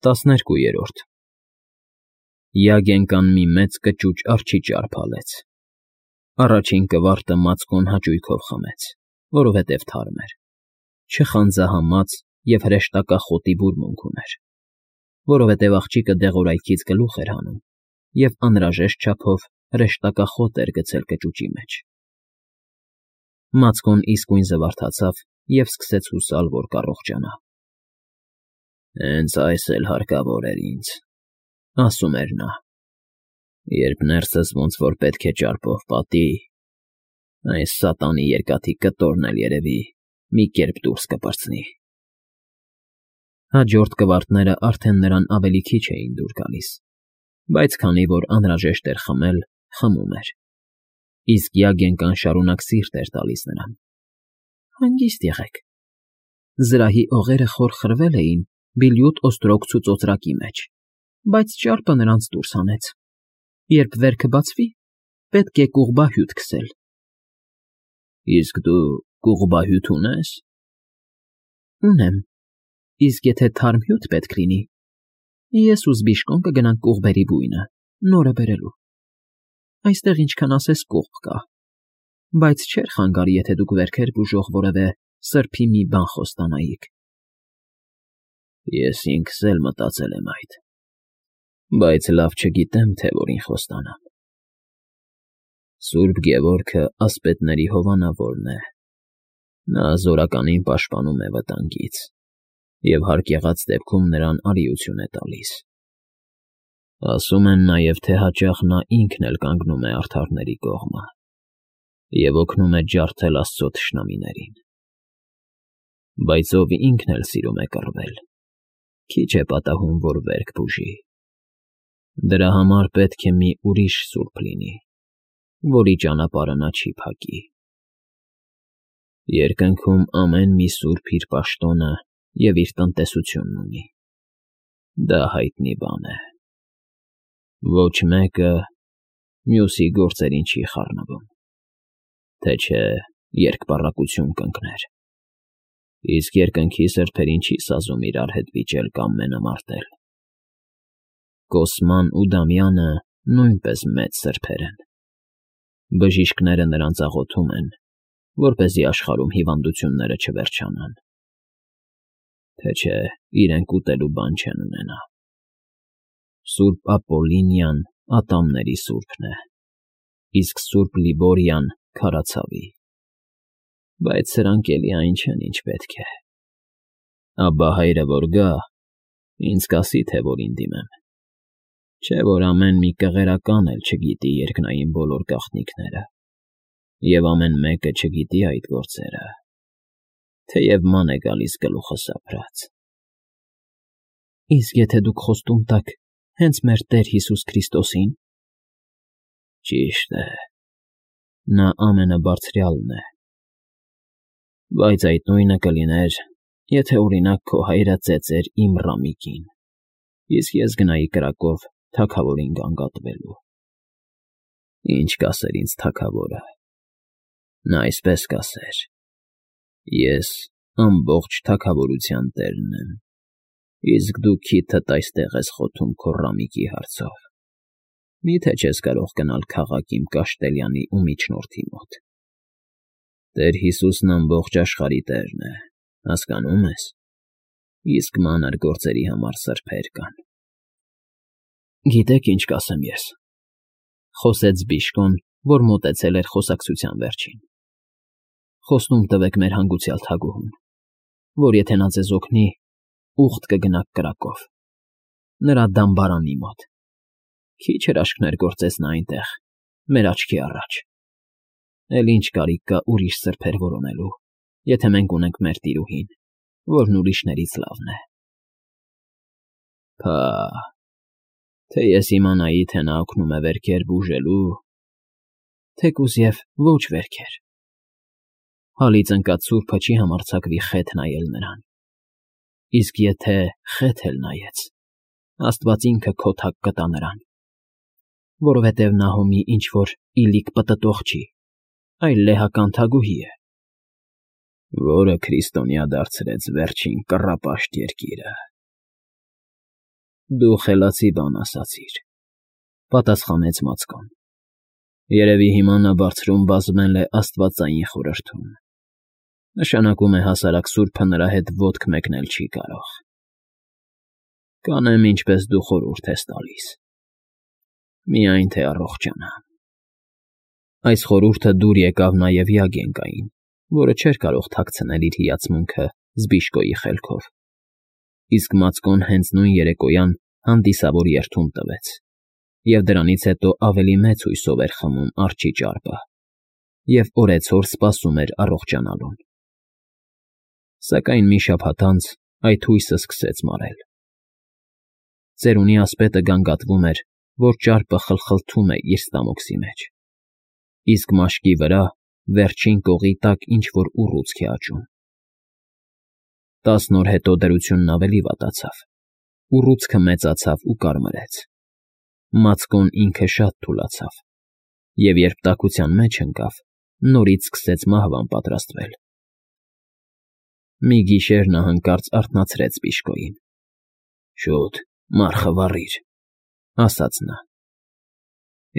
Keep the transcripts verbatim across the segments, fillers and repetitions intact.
Տասներկուերորդ Յագենկան մի մեծ կճուճ արջի ճարփալեց. առաջին կվարտը մածկոն հաճույքով խմեց, որովհետև թարմ էր, չխանձահամաց և հրեշտակախոտի բուրմունք ուներ, որովհետև աղջիկը դեղորայքից գլուխ էր հանում և անհրաժեշտ չափով հրեշտակախոտ էր գցել կճուճի մեջ. Մածկոն իսկույն զվարթացավ և սկսեց հուսալ, որ կառողջանա։ «Հենց այս էլ հարկավոր էր ինձ,֊ ասում էր նա,֊ երբ ներսս ոնց որ պետք է ճարպով պատի, այս սատանի երկաթի կտորն էլ երևի մի կերպ դուրս կպրծնի»։ Հաջորդ կվարտները արդեն նրան ավելի քիչ էին դուր գալիս, բայց քանի որ անհրաժեշտ էր խմել, խմում էր, իսկ Յագենկան շարունակ սիրտ էր տալիս նրան։ «Հանգիստ եղեք…» Զրահի օղերը խոր խրվել էին բիլյուտ օստրոգցու ծոծրակի մեջ, բայց ճարպը նրանց դուրս հանեց։ Երբ վերքը բացվի, պետք է կուղբահյուտ քսել։ «Իսկ դու կուղբահյուտ ունե՞ս»։ «Ունեմ, իսկ եթե թարմ հյութ պետք լինի, ես ու Զբիշկոն կգնանք կուղբերի բույնը նորը բերելու։ Այստեղ ինչքան ասես կուղբ կա, բայց չէր խանգարի, եթե դուք վերքեր բուժող որևէ սրբի մի բան խոստանայիք»։ «Ես ինքս էլ մտածել եմ այդ, բայց լավ չգիտեմ, թե որին խոստանամ։ Սուրբ Գևորգը ասպետների հովանավորն է, նա զորականին պաշտպանում է վտանգից և հարկ եղած դեպքում նրան արիություն է տալիս։ Ասում են նաև, թե հաճախ նա ինքն էլ կանգնում է արդարների կողմը և օգնում է ջարդել Աստծո թշնամիներին։ Բայց ով ինքն էլ սիրում է կռվել, քիչ է պատահում, որ վերք բուժի։ Դրա համար պետք է մի ուրիշ սուրբ լինի, որի ճանապարհը նա չի փակի։ Երկնքում ամեն մի սուրբ իր պաշտոնը և իր տնտեսությունն ունի, դա հայտնի բան է։ Ոչ մեկը մյուսի գործերին չի խառնվում, թե չէ երկպառակտություն կընկներ, իսկ երկնքի սրբերին չի սազում իրար հետ վիճել կամ մենամարտել։ Կոսման ու Դամյանը նույնպես մեծ սրբեր են, բժիշկները նրանց աղոթում են, որպեսզի աշխարհում հիվանդությունները չվերջանան, թե չէ իրենք ուտելու բան չեն ունենա։ Սուրբ Ապոլլինիան ատամների սուրբն է, իսկ սուրբ Լիբորիան՝ քարացավի, բայց սրանք էլի այն չեն, ինչ պետք է։ Աբա հայրը որ գա, ինձ կասի, թե որին դիմեմ, չէ՞ որ ամեն մի կղերական էլ չգիտի երկնային բոլոր գաղտնիքները, և ամեն մեկը չգիտի այդ գործերը, թեև ման է գալիս գլուխը սափրած։ «Իսկ եթե դուք խոստում տաք հենց մեր Տեր Հիսուս Քրիստոսին»։ «Ճիշտ է, նա ամենաբարձրյալն է, բայց այդ նույնը կլիներ, եթե, օրինակ, քո հայրը ծեծեր իմ Ռամիկին, իսկ ես գնայի կրակով թագավորին գանգատվելու։ Ինչ կասեր ինձ թագավորը։ Նա այսպես կասեր. «Ես ամբողջ թագավորության տերն եմ, իսկ դու քիթդ այստեղ ես խոթում քո Ռամիկի հարցով։ Մի՞թե չես կարող գնալ քաղաք իմ Կաշտելյանի ու միջնորդի մոտ։ Տեր Հիսուսն ամբողջ աշխարհի տերն է, հասկանո՞ւմ ես, իսկ մանր գործերի համար սրբեր կան»։ «Գիտեք, ինչ կասեմ ես,֊ խոսեց Զբիշկոն, որ մոտեցել էր խոսակցության վերջին,֊ խոստում տվեք մեր հանգուցյալ թագուհուն, որ եթե նա ձեզ օգնի, ուխտ կգնաք կրակով, նրա դամբարանի մոտ, քիչ հրաշքներ գործեց նա այնտեղ, մեր աչքի առաջ։ Էլ ինչ կարիք կա ուրիշ սրբեր որոնելու, եթե մենք ունենք մեր տիրուհին, որն ուրիշներից լավն է։ Փահ, թե ես իմանայի, թե նա օգնում է վերքեր բուժելու, թեկուզ և ոչ վերքեր, հալից ընկած սուրբը չի համարձակվի խեթ նայել նրան, իսկ եթե խեթ էլ նայեց, Աստված ինքը քոթակ կտա նրան, որովհետև Նահոմի ինչ֊որ իլիկ պտտող չի, այլ լեհական թագուհի է, որը քրիստոնյա դարձրեց վերջին կռապաշտ երկիրը։ Դու խելացի բան ասացիր,֊ պատասխանեց Մացկոն։֊ Երևի հիմա նա բարձրում բազմել է աստվածային խորհրդում, նշանակում է հասարակ սուրբը նրա հետ ոտք մեկնել չի կարող։ Կանեմ, ինչպես դու խորհուրդ ես տալիս, միայն թե առողջանամ։ Այս խորհուրդը դուր եկավ նաև Յագենկային, որը չէր կարող թաքցնել իր հիացմունքը Զբիշկոյի խելքով, իսկ Մացկոն հենց նույն երեկոյան հանդիսավոր երդում տվեց, և դրանից հետո ավելի մեծ հույսով էր խմում արջի ճարպը և օրեցօր սպասում էր առողջանալուն։ Սակայն մի շաբաթ անց այդ հույսը սկսեց մարել։ Ծերունի ասպետը գանգատվում էր, որ ճարպը խլխլթում է իր ստամոքսի մեջ, իսկ մաշկի վրա, վերջին կողի տակ ինչ֊որ ուռուցք է աճում։ Տասն օր հետո դրությունն ավելի վատացավ, ուռուցքը մեծացավ ու կարմրեց։ Մացկոն ինքը շատ թուլացավ, և երբ տաքության մեջ ընկավ, նորից սկսեց մահվան պատրաստվել։ Մի գիշեր նա հանկարծ արթնացրեց Բիժկոյին։ «Շուտ, մառխը վառիր,֊ ասաց նա։֊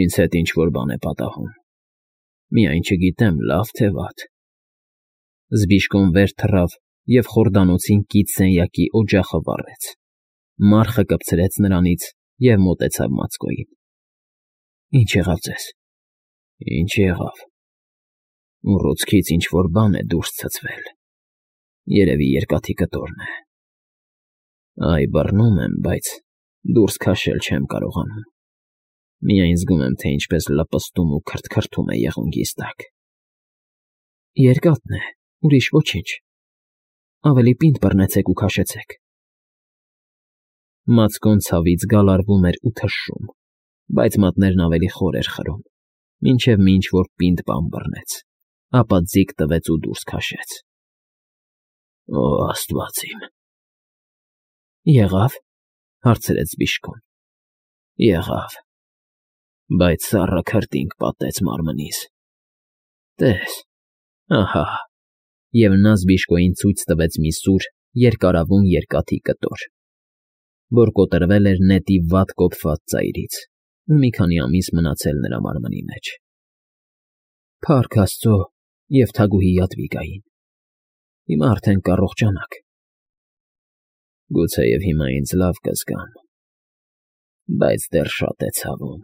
Ինձ հետ ինչ֊որ բան է պատահում, միայն չգիտեմ լավ թե վատ»։ Զբիժկոն վեր թռավ և խորդանոցին կից սենյակի օջախը վառեց, մառխը կպցրեց նրանից և մոտեցավ Մացկոյին։ «Ի՞նչ եղավ ձեզ»։ «Ինչ եղավ… ուռուցքից ինչ֊որ բան է դուրս ցցվել, երևի երկաթի կտորն է։ Այ, բռնում եմ, բայց դուրս քաշել չեմ կարողանում, միայն զգում եմ, թե ինչպես լպստում ու քրթքրթում է եղունգիս տակ»։ «Երկաթն է, ուրիշ ոչինչ, ավելի պինդ բռնեցեք ու քաշեցեք»։ Մացկոն ցավից գալարվում էր ու թշշում, բայց մատներն ավելի խոր էր խրում, մինչև մի ինչ֊որ պինդ բան բռնեց, ապա ձիգ տվեց ու դուրս քաշեց։ «Օ աստված իմ»։ «Եղա՞վ»։ հարցրեց Բիժկոն։ «Եղավ, բայց սառը քրտինք պատեց մարմնիս։ Տես, ահա…» և նա Զբիժկոյին ցույց տվեց մի սուր, երկարավուն երկաթի կտոր, որ կոտրվել էր նետի վատ կոփված ծայրից ու մի քանի ամիս մնացել նրա մարմնի մեջ։ «Փառք աստծո և թագուհի Յադվիգային, հիմա արդեն կառողջանաք»։ «Գուցեև հիմա ինձ լավ կզգամ, բայց դեռ շատ է ցավում»,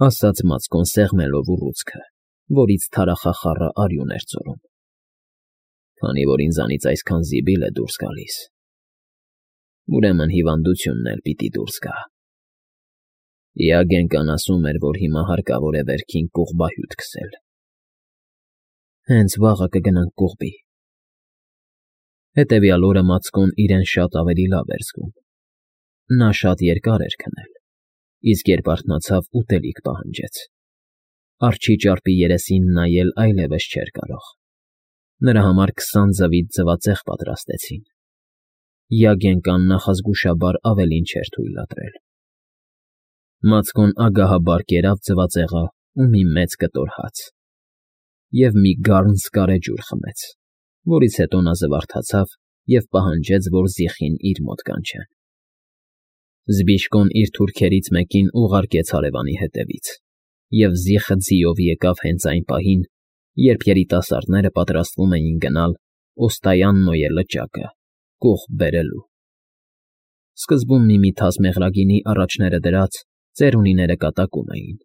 ասաց Մացկոն սեղմելով ուռուցքը, որից թարախախառը արյուն էր ծորում։ «Քանի որ ինձանից այսքան զիբիլ է դուրս գալիս, ուրեմն հիվանդությունն էլ պիտի դուրս գա։ Յագենկան ասում էր, որ հիմա հարկավոր է վերքին կողբահյուտ քսել»։ «Հենց վաղը կգնանք կողբի»։ Հետևյալ օրը Մացկոն իրեն շատ ավելի լավ էր զգում։ Նա շատ երկար էր քնել, իսկ երբ արթնացավ, ուտելիք պահանջեց։ Արջի ճարպի երեսին նայել այլևս չէր կարող։ Նրա համար քսան ձվից ձվածեղ պատրաստեցին։ Յագենկան նախազգուշաբար ավելին չէր թույլատրել։ Մացկոն ագահաբար կերավ ձվածեղը ու մի մեծ կտոր հաց և մի գառն սկարեջուր խմեց, որից հետո նա զվարթացավ և պահանջեց, որ զիխին իր մոտ կանչեն։ Զբիժկոն իր թուրքերից մեկին ուղարկեց հարևանի հետևից, և զիխը ձիով եկավ հենց այն պահին, երբ երիտասարդները պատրաստվում էին գնալ Օստայաննոյե լճակը կողբ բերելու։ Սկզբում մի֊մի թաս մեղրագինի առաջները դրած, ծերունիները կատակում էին,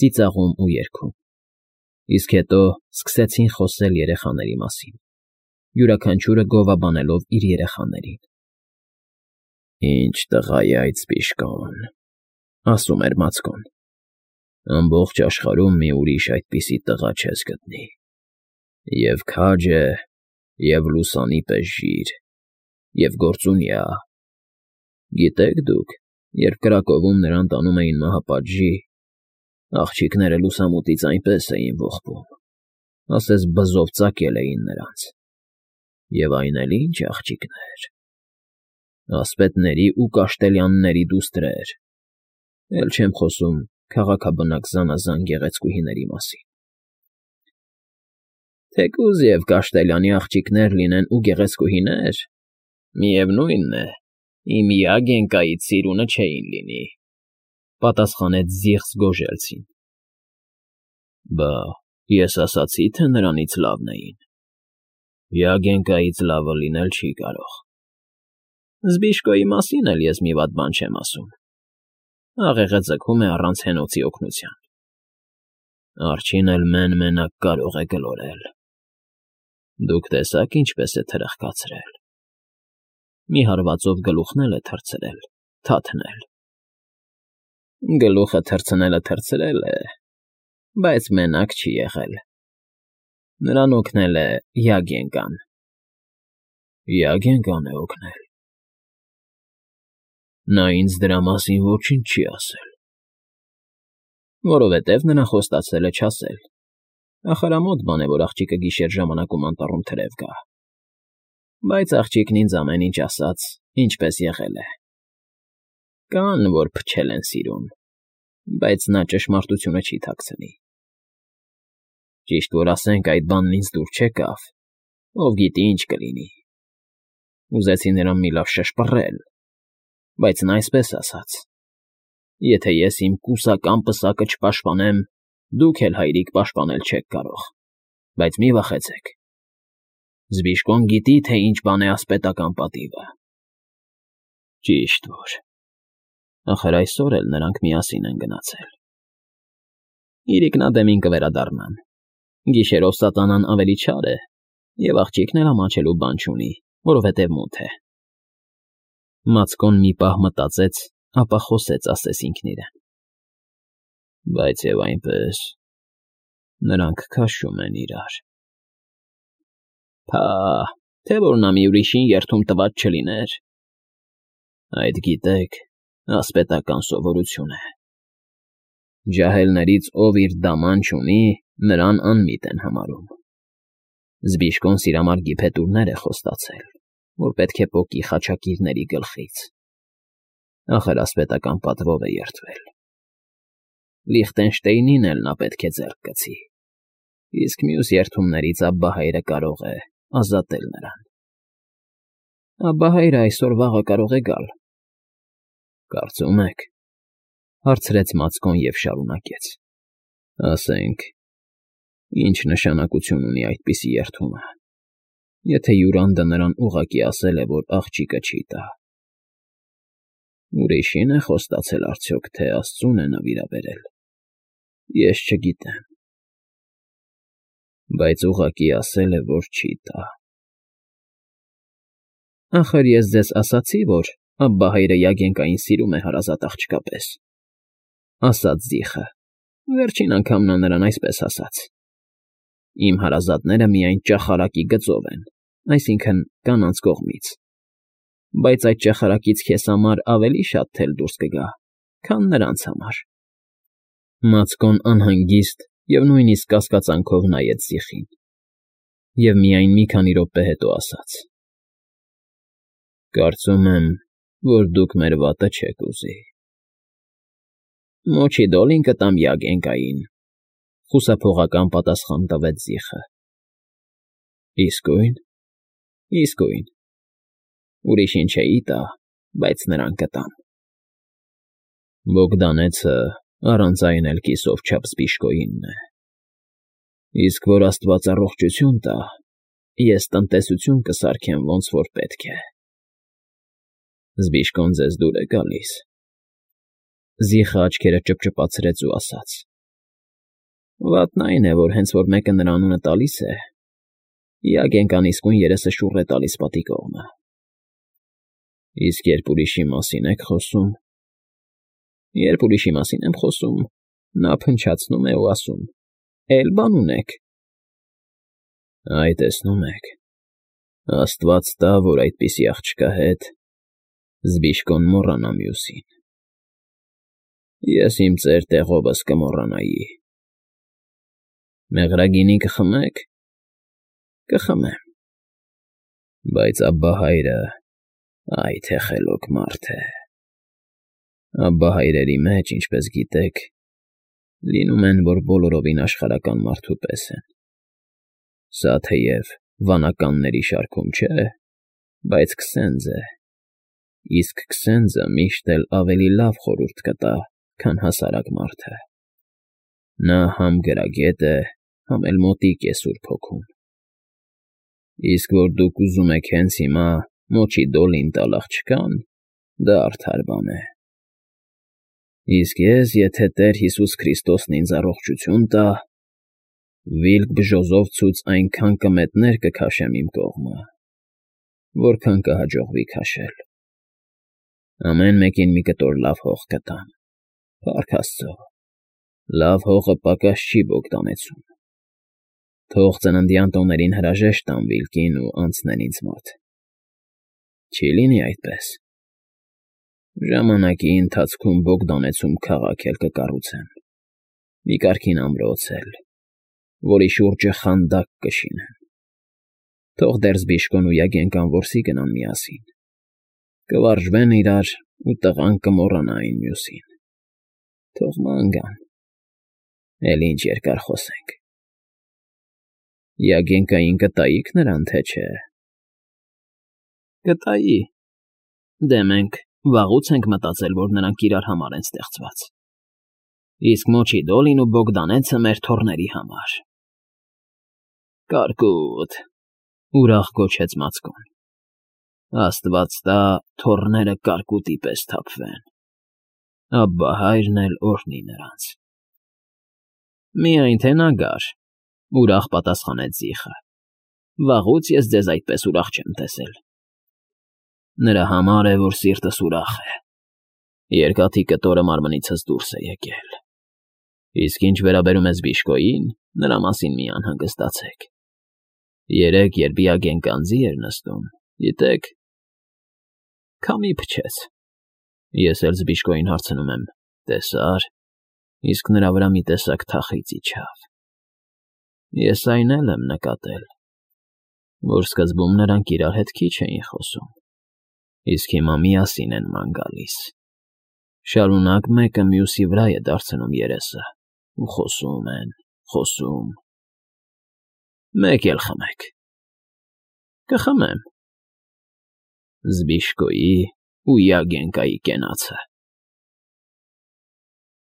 ծիծաղում ու երգում, իսկ հետո սկսեցին խոսել երեխաների մասին, յուրաքանչյուրը գովաբանելով իր երեխաներին։ «Ինչ տղա է այդ Զբիժկոն,֊ ասում էր Մացկոն,֊ ամբողջ աշխարհում մի ուրիշ այդպիսի տղա չես գտնի. և քաջ է, և լուսանի պես ժիր, և գործունյա։ Գիտեք դուք, երբ Կրակովում նրան տանում էին մահապատժի, աղջիկները լուսամուտից այնպես էին ողբում, ասես բզով ծակել էին նրանց։ Եվ այն էլ ինչ աղջիկներ… ասպետների ու կաշտելյանների դուստրեր, էլ չեմ խոսում քաղաքաբնակ զանազան գեղեցկուհիների մասին։ Թեկուզ և կաշտելյանի աղջիկներ լինեն ու գեղեցկուհիներ, միևնույն է, Իմ Յագենկայից սիրունը չէին լինի,֊ պատասխանեց զիղծ Գոժելցին։ Բա ես ասացի, թե նրանից լավն էին։ Յագենկայից լավը լինել չի կարող։ Զբիշկոյի մասին էլ ես մի վատ բան չեմ ասում. աղեղը ձգում է առանց հենոցի օգնության։ Արջին էլ մեն֊մենակ կարող է գլորել։ Դուք տեսաք ինչպես է թրխկացրել։ Մի հարվածով գլուխն էլ է թռցրել, թաթնել։ Գլուխը թռցնելը թռցրել է, բայց մենակ չի եղել։ Նրան օգնել է Յագենկան։ Յագենկան է օգնել։ Նա ինձ դրա մասին ոչինչ չի ասել։ Որովհետև նրան խոստացել է չասել։ Ախարամոտ բան է, որ աղջիկը գիշեր ժամանակում անտառում թրև գա։ Բայց աղջիկն ինձ ամեն ինչ ասաց, ինչպես եղել է։ Կան, որ փչել են սիրուն, բայց նա ճշմարտությունը չի թաքցնի։ Ճիշտ որ ասենք այդ բանն ինձ դուր չեկավ, ով գիտի ինչ կլինի։ Ուզեցի նրան մի լավ շշպռել, բայց նա այսպես ասաց. եթե ես իմ կուսական պսակը չպաշտպանեմ, դուք էլ հայրիկ պաշտպանել չեք կարող, բայց մի վախեցեք։ Զբիշկոն գիտի, թե ինչ բան է ասպետական պատիվը։ Ճիշտ որ, ախր այսօր էլ նրանք միասին են գնացել։ Իրիկնադեմին կվերադառնան։ Գիշերով սատանան ավելի չար է, և աղջիկն էլ ամաչելու բան չունի, որովհետև մութ է։ Մացկոն մի պահ մտածեց, ապա խոսեց ասես ինքն իրեն. Բայց և այնպես, նրանք քաշում են իրար։ Փա, թե որ նա մի ուրիշին երդում տված չլիներ։ Այդ գիտեք, ասպետական սովորություն է։ Ջահելներից ով իր դաման չունի, նրան անմիտ են համարում։ Զբիշկոն սիրամարգի փետուրներ է խոստացել, որ պետք է պոկի խաչակիրների գլխից։ Ախր ասպետական պատվով է երդվել։ Լիխտենշտեյնին էլ նա պետք է ձեռք գցի, իսկ մյուս երդումներից Աբբահայրը կարող է ազատել նրան։ Աբբահայրը այսօր֊վաղը կարող է գալ։ Կարծում եք, հարցրեց Մացկոն և շարունակեց. ասենք, ինչ նշանակություն ունի այդպիսի երդումը, եթե Յուրանդը նրան ուղղակի ասել է, որ աղջիկը չի տա։ Ուրիշին է խոստացել արդյոք, թե աստծուն է նվիրաբերել։ Ես չգիտեմ։ Բայց ուղղակի ասել է, որ չի տա։ Ախր ես ձեզ ասացի, որ Աբբահայրը Յագենկային սիրում է հարազատ աղջկա պես, ասաց Զիխը։ Վերջին անգամ նա նրան այսպես ասաց. Իմ հարազատները միայն ճախարակի գծով են, այսինքն կանանց կողմից, բայց այդ ճախարակից քեզ համար ավելի շատ թել դուրս կգա, քան նրանց համար։ Մացկոն անհանգիստ և նույնիսկ կասկածանքով նայեց Զիխին, և միայն մի քանի րոպե հետո ասաց. Կարծում եմ, որ դուք մեր վատը չեք ուզի։ Մոչի դոլին կտամ Յագենկային, խուսափողական պատասխան տվեց Զիխը։ Իսկույն, իսկույն, ուրիշին չէի տա, բայց նրան կտամ։ Բոգդանեցը առանց այն էլ կիսով չափ Զբիշկոյինն է։ Իսկ որ աստված առողջություն տա, ես տնտեսություն կսարքեմ ոնց որ պետք է։ Զբիշկոն ձեզ դուր է գալիս։ Զիխը աչքերը ճպճպացրեց ու ասաց. Վատն այն է, որ հենց որ մեկը նրա անունը տալիս է, Յագենկան իսկույն երեսը շուռ է տալիս պատի կողմը։ Իսկ երբ ուրիշի մասին եք խոսում։ Երբ ուրիշի մասին եմ խոսում, նա փնչացնում է ու ասում. Էլ բան ունեք։ Այ տեսնում եք, աստված տա, որ այդպիսի աղջկա հետ Զբիշկոն մոռանա մյուսին։ Ես իմ ծեր տեղովս կմոռանայի։ Մեղրագինի կխմեք։ Կխմեմ։ Բայց Աբբահայրը, այ թե խելոք մարդ է։ Աբբահայրերի մեջ, ինչպես գիտեք, լինում են, որ բոլորովին աշխարհական մարդու պես են։ Սա թեև վանականների շարքում չէ, բայց քսենձ է, Իսկ Քսենձը միշտ էլ ավելի լավ խորհուրդ կտա, քան հասարակ մարդը. նա համ գրագետ է, համ էլ մոտիկ է Սուրբ Հոգուն։ Իսկ որ դուք ուզում եք հենց հիմա մոչի դոլին տալ աղջկան, դա արդար բան է։ Իսկ ես, եթե Տեր Հիսուս Քրիստոսն ինձ առողջություն տա, վիլք բժոզովցուց այնքան կմետներ կքաշեմ իմ կողմը, որքան կհաջողվի քաշել։ Ամեն մեկին մի կտոր լավ հող կտամ, փառք Աստծո, լավ հողը պակաս չի Բոգդանեցում։ Թող ծննդյան տոներին հրաժեշտ տամ վիլկին ու անցնեն ինձ մոտ։ Չի լինի այդպես։ Ժամանակի ընթացքում Բոգդանեցում քաղաք էլ կկառուցեմ, մի կարգին ամրոց էլ, որի շուրջը խանդակ կշինեն։ Թող դեռ Զբիշկոն ու Յագենկան որսի գնան միասին, կվարժվեն իրար ու տղան կմոռանա այն մյուսին։ Թող ման գան, էլ ինչ երկար խոսենք։ Յագենկային կտայիք նրան, թե չէ։ Կտայի։ Դե մենք վաղուց ենք մտածել, որ նրանք իրար համար են ստեղծված։ Իսկ մոչի դոլին ու Բոգդանեցը մեր թոռների համար։ Կարկուտ, ուրախ գոչեց Մացկոն։ Աստված տա թոռները կարկուտի պես թափվեն։ Աբբա հայրն էլ օրհնի նրանց։ Միայն թե նա գար, ուրախ պատասխանեց Զիխը։ Վաղուց ես ձեզ այդպես ուրախ չեմ տեսել։ Նրա համար է, որ սիրտս ուրախ է։ Երկաթի կտորը մարմնիցս դուրս է եկել։ Իսկ ինչ վերաբերում է Զբիշկոյին, նրա մասին մի անհանգստացեք։ Երեկ, երբ Յագենկան ձի էր նստում, գիտեք, քամի փչեց։ Ես էլ Զբիշկոյին հարցնում եմ. տեսա՞ր, իսկ նրա վրա մի տեսակ թախիծ իջավ։ Ես այն էլ եմ նկատել, որ սկզբում նրանք իրար հետ քիչ էին խոսում, իսկ հիմա միասին են ման գալիս։ Շարունակ մեկը մյուսի վրա է դարձնում երեսը ու խոսում են, խոսում։ Մեկ էլ խմեք։ Կխմեմ։ Զբիշկոյի ու Յագենկայի կենացը։